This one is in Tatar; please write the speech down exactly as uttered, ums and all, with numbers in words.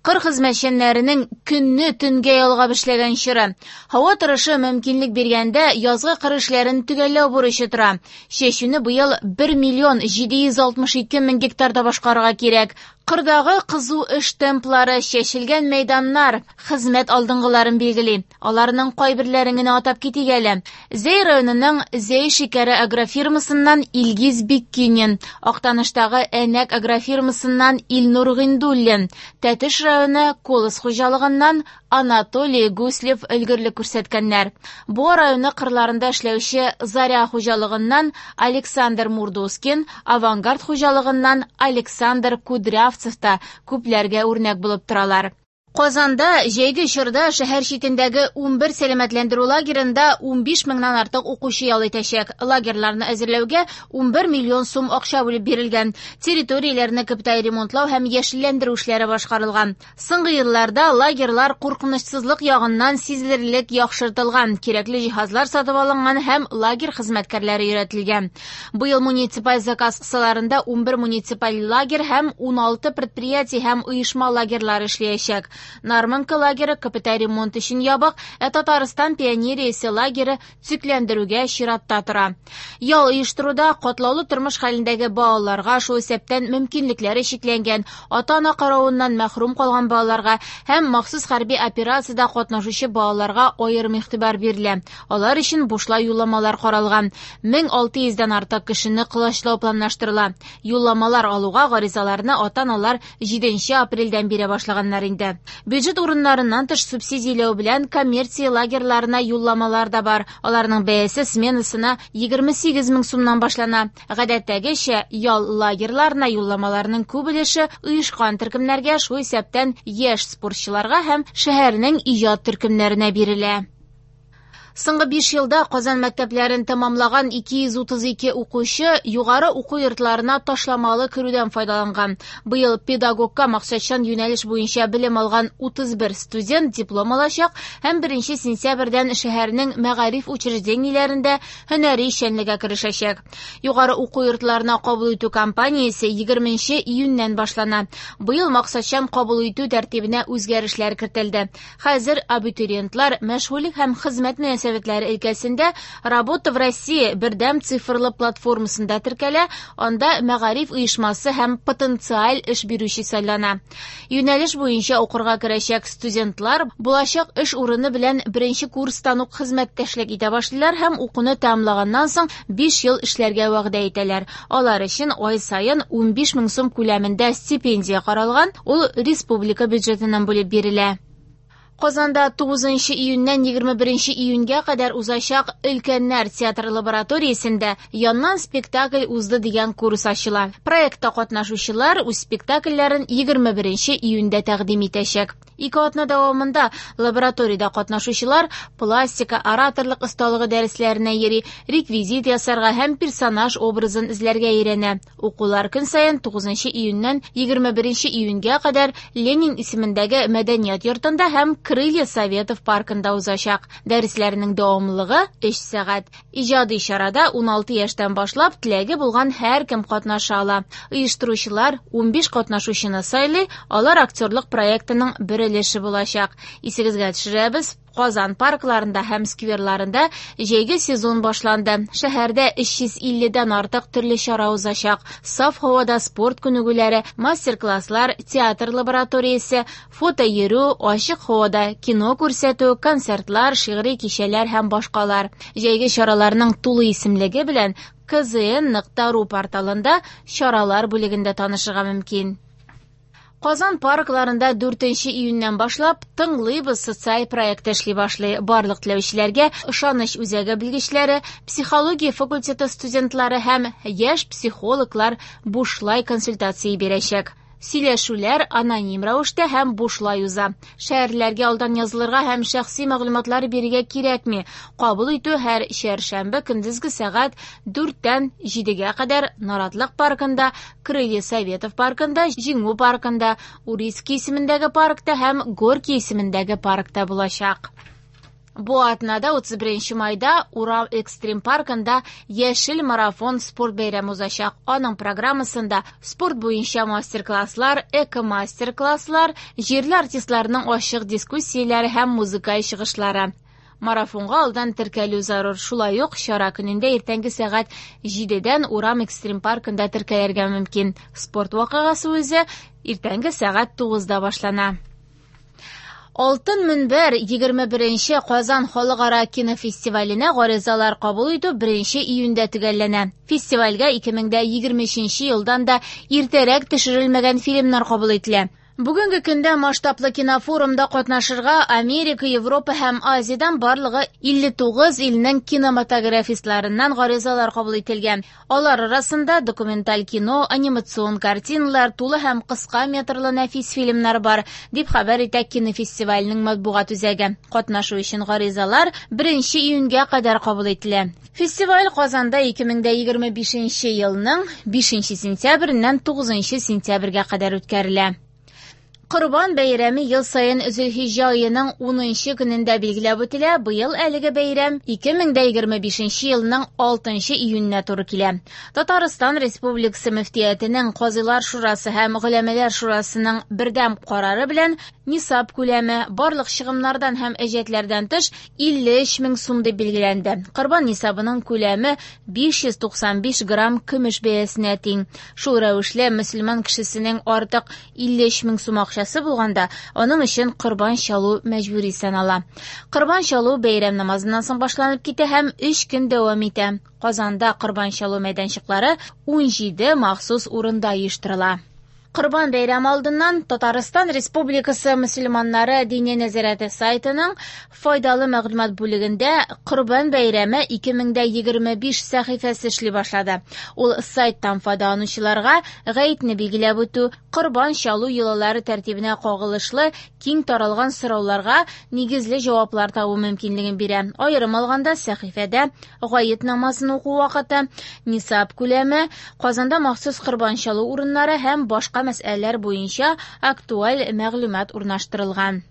Кыр хезмәтчәннәренең көнне төнгә ялгап эшләгән чоры. Һава торышы мөмкинлек биргәндә язгы кыр эшләрен төгәлләү бурычы тора. Чәчүне быел бер миллион җиде йөз алтмыш ике мең гектарда башкарырга кирәк. Кырдагы кызу эш темплары, чәчелгән мәйданнар хезмәт алдынгыларын билгели. Аларның кайберләрен генә атап китик әле. Зәй районының Зәй шикәре агрофирмасыннан Илгиз Биккинин, Актаныштагы Әнәк агрофирмасыннан Илнур Гыйндуллин, Тәтеш районы Колос хуҗалыгыннан Анатолий Гуслев өлгерлек күрсәткәннәр. Буа районы кырларында эшләүче Заря хуҗалыгыннан Александр Мурдоскин, Авангард хуҗалыгыннан Александр Кудрявцев та күпләргә үрнәк булып торалар. Казанда җәйге чорда шәһәр читендәге унбер сәламәтләндерү лагерында унбиш меңнән артык укучы ял итәчәк. Лагерьларны әзерләүгә унбер миллион сум акча бүлеп бирелгән. Территорияләрне капиталь ремонтлау һәм яшелләндерү эшләре башкарылган. Соңгы елларда лагерьлар куркынычсызлык ягыннан сизелерлек яхшыртылган, кирәкле җиһазлар сатып алынган һәм лагерь хезмәткәрләре өйрәтелгән. Быел муниципаль заказ кысаларында унбер муниципаль лагерь һәм уналты предприятие һәм оешма лагерьлары эшләячәк. Нармонка лагеры капиталь ремонт өчен ябык, ә Татарстан пионериясе лагеры төзекләндерүгә чиратта тора. Ял оештыруда катлаулы тормыш хәлендәге балаларга, шул исәптән мөмкинлекләре чикләнгән, ата-ана каравыннан мәхрүм калган балаларга һәм махсус хәрби операциядә катнашучы балаларга аерым игътибар бирелә. Алар өчен бушлай юлламалар каралган. Мең алты йөздән артык кешене колачлау планлаштырыла. Юлламалар алуга гаризаларны ата-аналар җиденче апрельдән бирә башлаганнар инде. Бюджет урыннарыннан тыш субсидияләү белән коммерция лагерьларына юлламалар да бар. Аларның бәясе сменасына егерме сигез мең сумнан башлана. Гадәттәгечә, ял лагерьларына юлламаларның күп өлеше оешкан төркемнәргә, шул исәптән яшь спортчыларга һәм шәһәрнең иҗат төркемнәренә бирелә. Соңгы биш елда Казан мәктәпләрен тәмамлаган ике йөз утыз ике укучы югары уку йортларына ташламалы керүдән файдаланган. Быел педагогка максатчан юнәлеш буенча белем алган утыз бер студент диплом алачак һәм беренче сентябрьдән шәһәрнең мәгариф учреждениеләрендә һөнәри эшчәнлеккә керешәчәк. Югары уку йортларына кабул итү кампаниясе егерменче июньнән башлана. Быел максатчан кабул итү тәртибенә үзгәрешләр кертелде. Хәзер абитуриентлар мәшгульлек һәм хезмәт мөнәсәбәтләре өлкәсендә Работа в России бердәм цифрлы платформасында теркәлә, анда мәгариф оешмасы һәм потенциаль эш бирүче сайлана. Юнәлеш буенча укырга керәчәк студентлар булачак эш урыны белән беренче курстан ук хезмәттәшлек итә башлыйлар һәм укуны тәмамлаганнан соң биш ел эшләргә вәгъдә итәләр. Алар өчен ай саен унбиш мең сум күләмендә стипендия каралган, ул республика бюджетыннан бүлеп бирелә. Казанда тугызынчы июньнән егерме беренче июньгә кадәр узачак Өлкәннәр театры лабораториясендә Яннан спектакль узды дигән курс ачыла. Проектта катнашучылар үз спектакльләрен егерме беренче июньдә тәкъдим итәчәк. Ике атна дәвамында лабораториядә катнашучылар пластика, ораторлык осталыгы дәресләренә йөри, реквизит ясарга һәм персонаж образын эзләргә өйрәнә. Укулар көн саен тугызынчы июньнән егерме беренче июньгә кадәр Ленин исемендәге мәдәният йортында һәм Крылья Советов паркында узачак. Дәресләрнең дәвамлылыгы өч сәгать. Иҗади чарада уналты яшьтән башлап теләге булган һәркем катнаша ала. Оештыручылар унбиш катнашучыны сайлый, алар актерлык проектының бер өлеше булачак. Исегезгә төшерәбез, Казан паркларында һәм скверларында җәйге сезон башланды. Шәһәрдә өч йөз илледән артык төрле чара узачак. Саф һавада спорт күнегүләре, мастер-класслар, театр лабораториясе, фото йөрү, ачык һавада кино күрсәтү, концертлар, шигъри кичәләр һәм башкалар. Җәйге чараларның тулы исемлеге белән К З Н нокта ру порталында чаралар бүлегендә танышырга мөмкин. Казан паркларында дүртенче июньнән башлап Тыңлыйбыз социаль проект эшли башлый. Барлык теләүчеләргә ышаныч үзәге белгечләре, психология факультеты студентлары һәм яшь психологлар бушлай консультация бирәчәк. Сөйләшүләр аноним рәвештә һәм бушлай уза. Шәһәрләргә алдан язылырга һәм шәхси мәгълүматлар бирергә кирәкми. Кабул итү һәр чәршәмбе көндезге сәгать дүрттән җидегә кадәр Наратлык паркында, Крылья Советов паркында, Җиңү паркында, Урицкий исемендәге паркта һәм Горький исемендәге паркта булачак. Бу атнада утыз беренче майда Урал экстрим паркында Яшел марафон спорт бәйрәме узачак. Аның программасында спорт буенча мастер-класслар, эко-мастер-класслар, җирле артистларның ачык дискуссияләре һәм музыкаль чыгышлары. Марафонга алдан теркәлү зарур. Шулай ук чара көнендә иртәнге сәгать җидедән Урам экстрим паркында теркәлергә мөмкин. Спорт вакыйгасы үзе иртәнге сәгать тугызда башлана. Алтын мөнбәр егерме беренче Казан халыкара кинофестиваленә гаризалар кабул итү беренче июньдә төгәлләнә. Фестивальгә ике мең дә егерме өченче елдан да иртәрәк төшерелмәгән фильмнар кабул ителә. Бүгенге көндә масштаблы кинофорумда катнашырга Америка, Европа һәм Азиядән барлыгы илле тугыз илнең кинематографистларыннан гаризалар кабул ителгән. Алар арасында документаль кино, анимацион картиналар, тулы һәм кыска метрлы нәфис фильмнар бар, дип хәбәр итә кинофестивальнең матбугат үзәге. Катнашу өчен гаризалар беренче июньгә кадәр кабул ителә. Фестиваль Казанда ике мең дә егерме бишенче елның бишенче сентябреннән тугызынчы сентябрьгә кадәр үткәрелә. Корбан бәйрәме ел саен Зөлхиҗҗә аеның унынчы көнендә билгеләп үтелә. Быел әлеге бәйрәм ике мең дә егерме бишенче елның алтынчы июненә туры килә. Татарстан Республикасы мөфтиятенең Казыйлар шурасы һәм Голәмәләр шурасының бердәм карары белән нисаб күләме барлык чыгымнардан һәм әҗәтләрдән тыш илле өч мең сум дип билгеләнде. Корбан нисабының күләме биш йөз туксан биш грамм көмеш бәясенә тиң. Шул рәвешле мөселман кешесенең артык илле өч мең сум акчасы булганда, аның өчен корбан чалу мәҗбүри санала. Корбан чалу бәйрәм намазыннан соң башланып китә һәм өч көн дәвам итә. Казанда корбан чалу мәйданчыклары ун җиде махсус урында оештырыла. Корбан бәйрәме алдыннан Татарстан Республикасы мөселманнары диния нәзарәте сайтының файдалы мәгълүмат бүлегендә Корбан бәйрәме ике мең дә егерме биш сәхифәсе эшли башлады. Ул сайттан файдаланучыларга гаетне билгеләп үтү, корбан чалу йолалары тәртибенә кагылышлы киң таралган сорауларга нигезле җаваплар табу мөмкинлеген бирә. Аерым алганда сәхифәдә гает намазын уку вакыты, нисаб күләме, Казанда махсус корбан чалу урыннары һәм башка мәсьәләләр буенча актуаль мәгълүмат урнаштырылган.